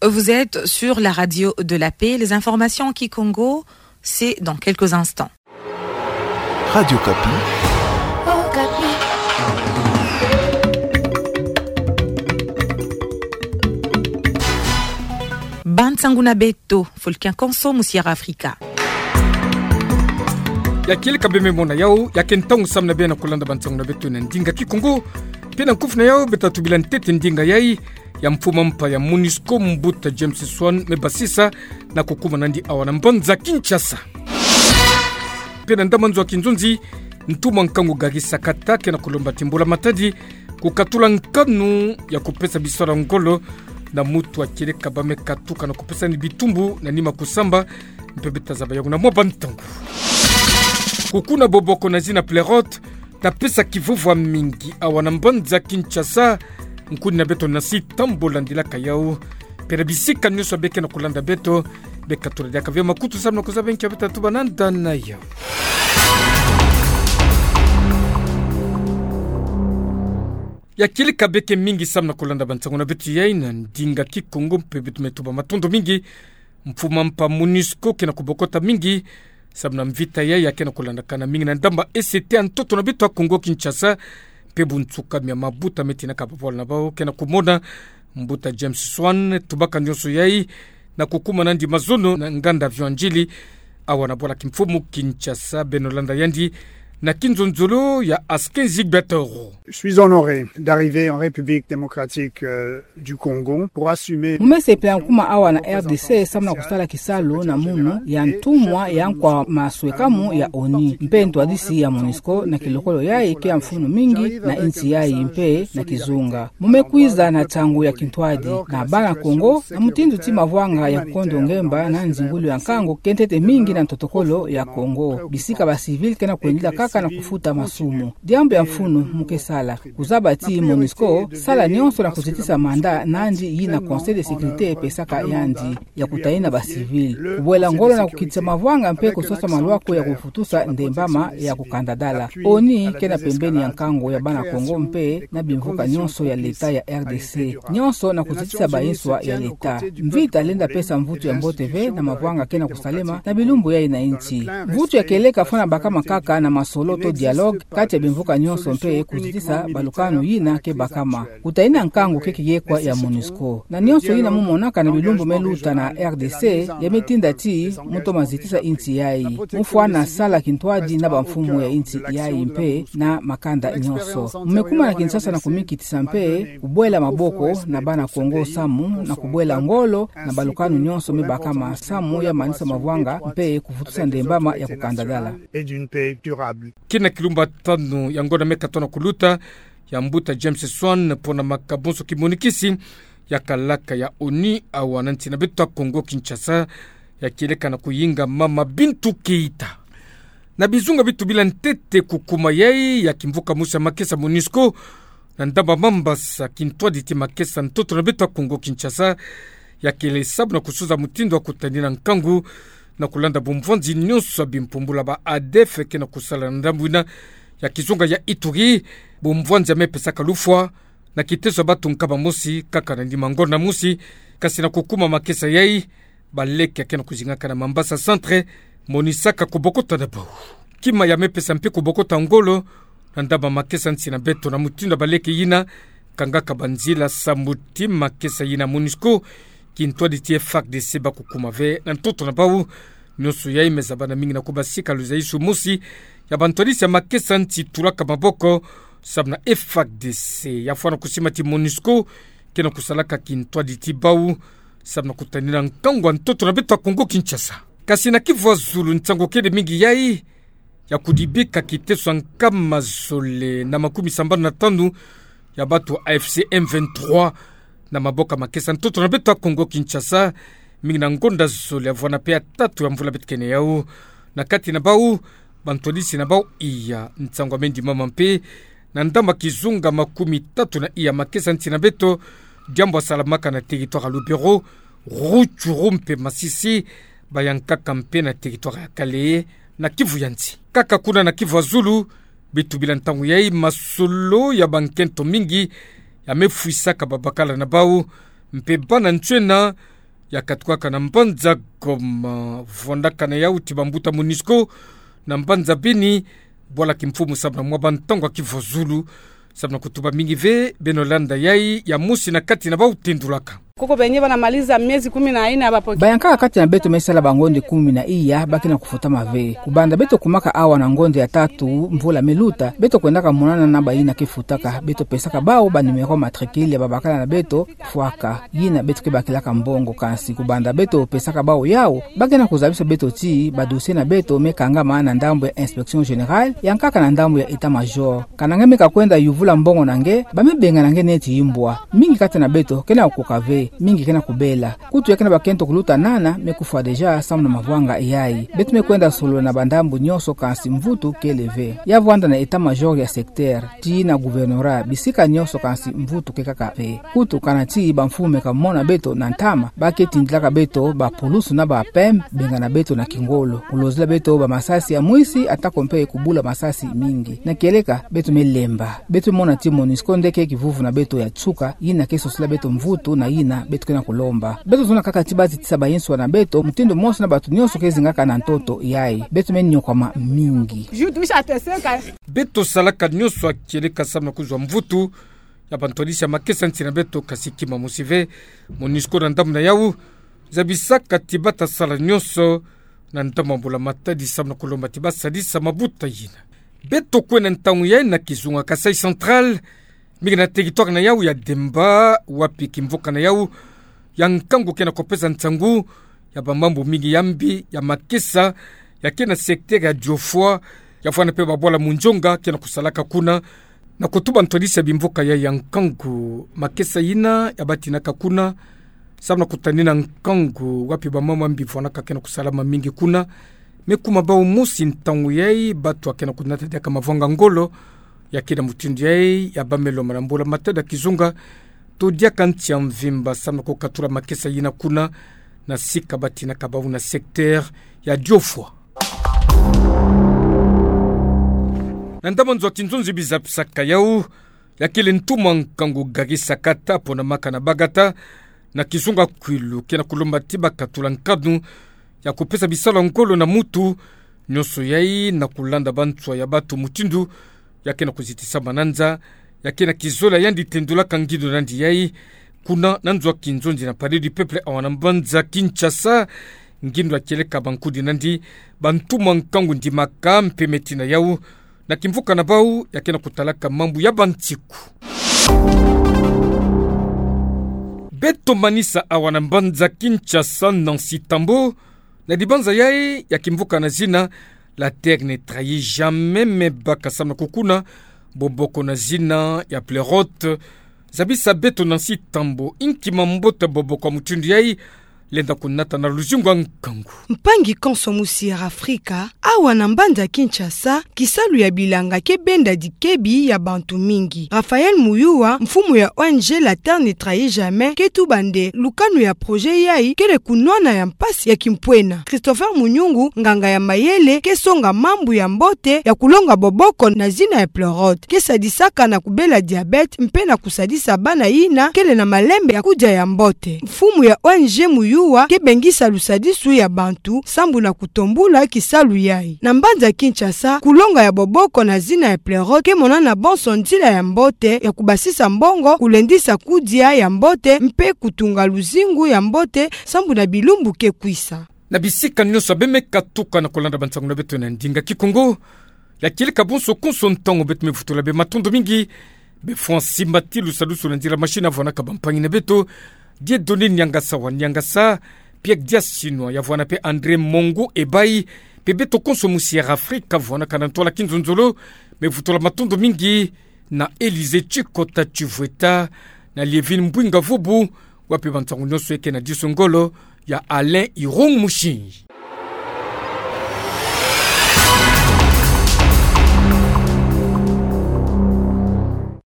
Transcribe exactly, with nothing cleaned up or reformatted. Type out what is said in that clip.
Vous êtes sur la radio de la paix. Les informations en kikongo, c'est dans quelques instants. Radio Okapi. Bansangu na beto, fulu kia konso mu Sierra Africa. Ya kieleka bê me mona yau, ya ke ntangu samu na bê na kulanda bansangu na beto na ndinga kikongo. Mpe na nkufi na yau, beta tubila ntete ndinga yai ya mfuma mpa ya MONUSCO, mbuta James Swan, me basisa na kukumana ndi awa na mbanza Kinshasa. Mpe na ndambu nzo a kinzonzi, ntumwa nkangu Gary Sakata ke na kulomba ti mbula matadi kukatula nkanu ya kupesa biswala ngolo na mutu a kieleka bê me katuka na kupesa ni bitumbu na nima kusamba. Mpe beta zaba yango na mwa bantangu. Kukuna boboko na zina pleurote, ta pesa kivuvwa mingi awa na mbanza Kinshasa. Nkuni na beto nasi ta mbo landilaka yau. Mpe na bisika nyonso bê ke na kulanda beto, bê katula diaka ve makutu samu na kuzaba nki beta tuba na nda na yau. Ya kieleka bê ke mingi samu na kulanda bansangu na beto yai na ndinga kikongo, mpe beto me tuba matondo mingi. Mfuma mpa MONUSCO ke na kubokota mingi samu na mvita yai ya ke na kulandakana mingi na ndambu E C T a ntoto na beto ya Kongo Kinshasa. Mpe bunsuka mia mabuta me tinaka babwala na bau ke na kumona mbuta James Swan, tubaka nyonso yai na kukumana ndi mazono na nganda avion Ndjili awa na bwala kimfumu Kinshasa. Beno landa yandi na kinzonzolo ya Askin Zigbetoro. Je suis honoré d'arriver en République démocratique, euh, du Congo pour assumer. Mu me sepela nkuma awa na R D C samu na kusala kisalu na munu ya ntumwa ya nkwa maswekamu ya ONU, mpe ntwadisi ya MONUSCO na kilokolo yai ke ya mfunu mingi na nsi yai mpe na kizunga. Mu me kwiza na ntangu ya kintwadi na bana Kongo, na mutindu ti mavwanga ya kukondo ngemba na nzingulu ya nkangu ke ntete mingi na ntotokolo ya Kongo, bisika ba civil ke na kwendila kaka na kufuta masumu. Diambu ya mfunu mu ke sala, kuzaba ti MONUSCO sala nyonso na kuzitisa mandat nandi yina Conseil de sécurité epesaka yandi, ya kutalina ba civil. Kubwela ngolo na kukitisa mavwanga mpe kusosa malwaku ya kufutusa ndembama ya kukandadala. ONU ke na pembeni ya nkangu ya bana Kongo mpe na bimvuka nyonso ya leta ya R D C. Nyonso na kuzitisa ba nswa ya leta. Mvita lenda pesa mvutu ya mbote ve na mavwanga ke na kusalema na bilumbu yai na nsi. Mvutu ya kieleka fwana bakama kaka na masolo to dialogue kati ya bimvuka nyonso mpe kuzitisa balukanu yina ke bakama. Kutalina nkangu ke kiyekwa ya MONUSCO. Na nyonso yina mu monaka na bilumbu me luta na R D C, ya me tinda ti mu toma zitisa nsi yai. Mu fwana sala kintwadi na bamfumu ya nsi yai mpe na makanda nyonso. Mu me kuma na Kinshasa na kumikitisa mpe kubwela maboko na bana Kongo samu na kubwela ngolo na balukanu nyonso me bakama samu ya manisa mavwanga mpe kufutusa ndembama ya kukandadala. Kina kilumbu tanu ya ngonda me katona kuluta, ya mbuta James Swan pona makabonso kimonikisi ya kalaka ya ONU awa na nsi na beto ya Kongo Kinshasa, ya kieleka na kuyinga mama Bintou Keita. Na bizunga bi tubila ntete kukuma yai ya kimvuka mosi ya makesa MONUSCO na ndamba Mambasa, kintwadi ti makesa ntoto na beto ya Kongo Kinshasa, ya kele sabu na kusuza mutindu wa kutanina nkangu na kulanda bumvwanzi nyonso ya bimpumbula ba ADF ke na kusala na ndambu yina ya kizunga ya Ituri. Bumvwanzi ya me pesaka lufwa na kiteso ya bato nkama mosi kaka na nima ngonda mosi, kasi na kukuma makesa yai, baleke ya ke na kuzingaka na Mambasa Centre monisaka kubokota na bau. Kima ya me pesa mpe kubokota ngolo na ndamba makesa nsi na beto na mutindu ya baleke yina kangaka banzila samu ti makesa yina MONUSCO, kintwadi ti FARDC ba kukuma ve na ntoto na bau. Nyonso yai me zabana mingi na kubasika luzaisu mosi ya bantwadisi ya makesa nsi tulaka maboko samu na FARDC. Ya fwana kusima ti MONUSCO ke na kusalaka kintwadi ti bau samu na kutanina nkangu ya ntoto na beto ya Kongo Kinshasa. Kasi na kivu ya zulu nsangu kele mingi yai ya kudibika kiteso ya nkama zole na makumi sambanu na tanu ya bato ya AFC M vingt-trois na maboko ya makesa ntoto na beto ya Kongo Kinshasa, mingi na ngonda zole ya vwana mpe ya tatu ya mvula beto kene yau. Na kati na bau, bantwadisi na bau iya, nsangu ya me ndimama mpe na ndamba kizunga makumi tatu na iya makesa nsi na beto, diambu ya salamaka na territoire ya Lubero, Rutshuru mpe Masisi, bayankaka mpe na territoire ya Kalehe, na Kivu ya nsi. Kaka kuna na Kivu ya zulu, beto bila ntangu yai masolo ya bankento mingi ya me fwisaka babakala na bau, mpe bana ntiena ya katukaka na mbanza Goma, vwandaka na yau ti bambuta MONUSCO na mbanza Beni, bwala kimfumu samu na mwa bantango ya kivozulu, samu na kutuba mingi ve. Beno landa yai, ya mosi na kati na bau tendulaka. Kuko benye banamaliza miezi kumi na nne hapa poki. Bayankaka kati na beto me sala bangonde kumi na iya, ba ke na kufutama ve. Kubanda beto kumaka awa na ngonde ya tatu mvula me luta, beto kwendaka monana na bayina ke futaka, beto pesaka bau ba numéro matricule ya babakala na beto, fwaka. Yina beto ke bakilaka mbongo, kansi kubanda beto pesaka bau yau, ba ke na kuzabisa beto ti ba dossier na beto me kangama na ndambu ya Inspection Générale, yankaka na ndambu ya État-Major. Kana nge me kakwenda yuvula mbongo na nge, ba me benga na nge neti imbwa. Mingi kati na beto ke na kukoka ve, mingi ke na kubela. Kutu ya ke na bakento kuluta nana me kufwa déjà samu na mavwanga yai. Beto me kwenda solola na bandambu nyonso, kansi mvutu kele ve. Ya vwanda na État-Major ya secteur, tii na gouvernorat, bisika nyonso, kansi mvutu kekaka ve. Kutu kana ti bamfumu me kamona beto na ntama, ba ke tindilaka beto bapulusu na ba PEM, bengana beto na kingolo, kulozila beto bamasasi ya mwisi, atako mpe kubula masasi mingi. Na kieleka, beto me lemba. Beto me mona ti MONUSCO nde ke kivuvu na beto ya nsuka, yina ke sosila beto mvutu na yina beto ke na kulomba. Beto zonza kaka ti ba zitisa bayinswa na beto, mutindu mosi na bato nyonso ke zingaka na ntoto yai. Beto me nyokwama mingi. Beto salaka nyonso ya kieleka samu na kuzwa mvutu ya bantwadisi ya makesa nsi na beto, kansi kima mosi ve. MONUSCO na ndambu na yau zabisaka ti ba ta sala nyonso na ndambu ya mbula-matadi samu na kulomba ti ba sadisa mabuta yina. Beto kwe na ntangu yai na kizunga Kasaï Central, mingi na territoire na yau ya Demba, wapi kimvuka na yau ya nkangu ke na kupesa nsangu ya bamambu mingi ya mbi ya makesa ya ke na secteur ya Dioufwa, ya vwanda mpe babwala munzonga ke na kusalaka kuna, na kutuba ntwadisi ya bimvuka yai ya nkangu. Makesa yina ya batinaka kuna samu na kutanina nkangu, wapi bamambu ya mbi vwanaka ke na kusalama mingi kuna, me kuma bau mosi ntangu yai, bato ya ke na kunata diaka mavwanga ngolo. Ya ke na mutindu yai, ya ba me lomba na mbula-matadi ya kizunga to diaka nsi ya mvimba samu na kukatula makesa yina kuna, na sika batinaka bau na secteur ya Dioufwa. Na ndambu ya nzo ya kinzonzi bizapisaka yau, ya kele ntuma nkangu Gary Sakata, ponamaka na Bagata, na kizunga Kwilu, ke na kulomba ti ba katula nkanu ya kupesa bisalu ya ngolo na mutu nyonso yai, na kulanda banswa ya bato mutindu ya ke na kuzitisama na nza. Ya ke na kizola yandi tendulaka ngindu nandi yai kuna na nzo ya kinzonzi na Palais du Peuple awa na mbanza Kinshasa. Ngindu ya kieleka bankudi nandi, bantuma nkangu ndimaka mpe meti na yau na kimvuka na bau ya ke na kutalaka mambu ya bansiku. Beto manisa awa na mbanza Kinshasa, Nancy Tambo, na dibanza yai ya kimvuka na zina La Terre ne trahit jamais, me baka samu na kukuna boboko na zina ya Pleurote. Zabisa beto, Nancy Tambo, inki mambote ya boboko ya mutindu yai lenda kunata na luzingu ya nkangu. Mpangi konso musi ya Afrika, awa na mbanza Kinshasa, kisalu ya bilanga ke benda dikebi ya bantu mingi. Raphaël Muyuwa, mfumu ya O N G La Terre ne trahit jamais, ke tuba nde lukanu ya projet yai kele kunwana ya mpasi ya kimpwena. Christopher Munyungu, nganga ya mayele ke songa mambu ya mbote ya kulonga boboko na zina ya Pleurote, ke sadisaka na kubela diabète mpe na kusadisa bana yina kele na malembe ya kudia ya mbote. Mfumu ya O N G Muyuwa ke bengisa lusadisu ya bantu sambu na kutombula kisalu yai. Na mbanza Kinshasa, kulonga ya boboko na zina ya Pleurote ke monana bonso nzila ya mbote ya kubasisa mbongo, kulendisa kudia ya mbote mpe kutunga luzingu ya mbote sambu na bilumbu ke kwisa. Na bisika nyonso beno me katuka na kulanda bansangu na beto na ndinga Kikongo, ya kieleka bonso konso ntangu, beto me vutula beno matondo mingi. Be Francis Matilu, lusadusu na nzila machine, ya vwanaka bampangi na beto, Dieudonné Niangasa wa Niangasa, Pierre Diasinwa, ya vwana mpe André Mongo Ebayi, mpe beto konso musi ya Afrika, ya vwanaka na ntwala kinzonzolo, me vutula matondo mingi na Élysée Tchikota Tchivweta, na Liévine Mbwinga Vubu, wapi bansangu nyonso eke na diso ngolo ya Alain Irung Mushinji.